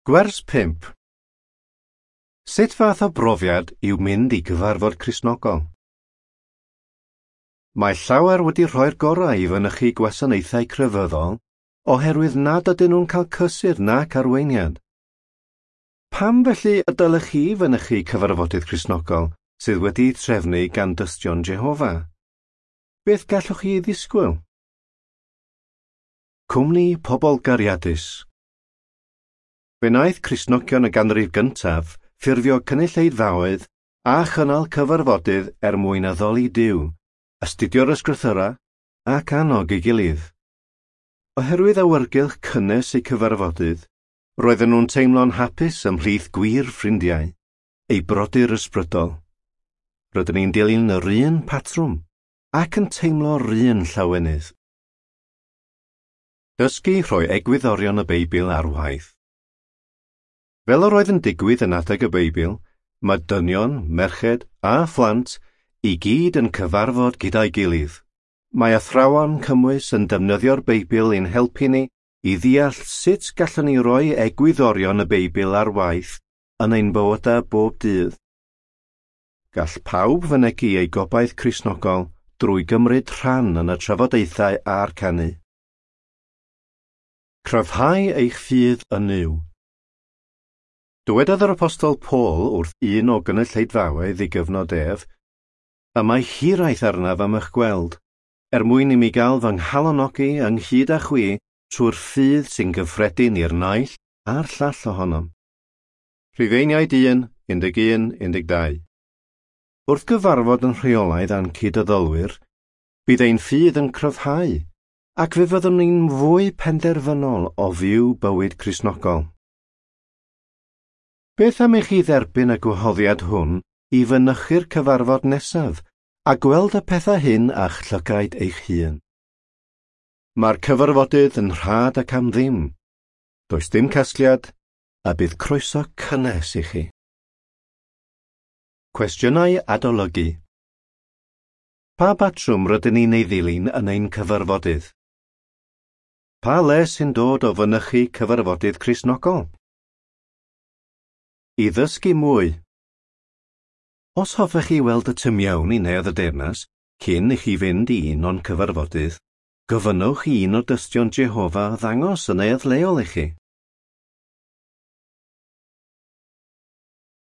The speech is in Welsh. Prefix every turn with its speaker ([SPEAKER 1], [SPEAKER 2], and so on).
[SPEAKER 1] Gwers 5. Sut fath o brofiad yw mynd i gyfarfod Cristnogol? Mae llawer wedi rhoi'r gorau i fynychu gwasanaethau crefyddol oherwydd nad ydyn nhw'n cael cysur nac arweiniad. Pam felly y dylech chi fynychu cyfarfodydd Cristnogol sydd wedi'u trefnu gan Dystion Jehofa? Beth gallwch chi ei ddisgwyl? Cwmni pobl gariadus. Fe wnaeth Cristnogion y ganrif gyntaf ffurfio cynulleidfaoedd a chynnal cyfarfodydd er mwyn addoli Duw, astudio'r ysgrythura ac annog ei gilydd. Oherwydd awyrgylch cynnes eu cyfarfodydd, roedden nhw'n teimlo'n hapus ymhlith gwir ffrindiau, eu brodyr ysbrydol. Rydyn ni'n dilyn yr un patrwm ac yn teimlo'r un llawenydd. Dysgu rhoi egwyddorion y Beibl ar waith. Fel yr oedd yn digwydd yn adeg y Beibl, mae dynion, merched a phlant i gyd yn cyfarfod gyda'i gilydd. Mae athrawon cymwys yn defnyddio'r Beibl i'n helpu ni i ddeall sut gallwn ni roi egwyddorion y Beibl ar waith yn ein bywydau bob dydd. Gall pawb fynegi eu gobaith Cristnogol drwy gymryd rhan yn y trafodaethau a'r canu. Cryfhau eich ffydd yn Nuw. Dywedodd yr Apostol Paul wrth un o gynulleidfaoedd ei gyfnod ef, "Y mae hiraeth arnaf am eich gweld, er mwyn i mi gael fy nghalonogi ynghyd â chwi trwy'r ffydd sy'n gyffredin i'r naill a'r llall ohonom." Rhufeiniaid 1, 11, 12. Wrth gyfarfod yn rheolaidd â'n cyd-addolwyr, bydd ein ffydd yn cryfhau, ac fe fyddwn ni'n fwy penderfynol o fyw bywyd Cristnogol. Beth am i chi dderbyn y gwahoddiad hwn i fynychu'r cyfarfod nesaf a gweld y pethau hyn â'ch llygaid eich hun? Mae'r cyfarfodydd yn rhad ac am ddim. Does dim casgliad, a bydd croeso cynnes i chi. Cwestiynau adolygu. Pa batrwm rydyn ni'n ei ddilyn yn ein cyfarfodydd? Pa le sy'n dod o fynychu cyfarfodydd Cristnogol? I ddysgu mwy. Os hoffech chi weld y tu mewn i Neuadd y Deyrnas cyn i chi fynd i un o'n cyfarfodydd, gofynnwch i un o Dystion Jehofa ddangos y neuadd leol i chi.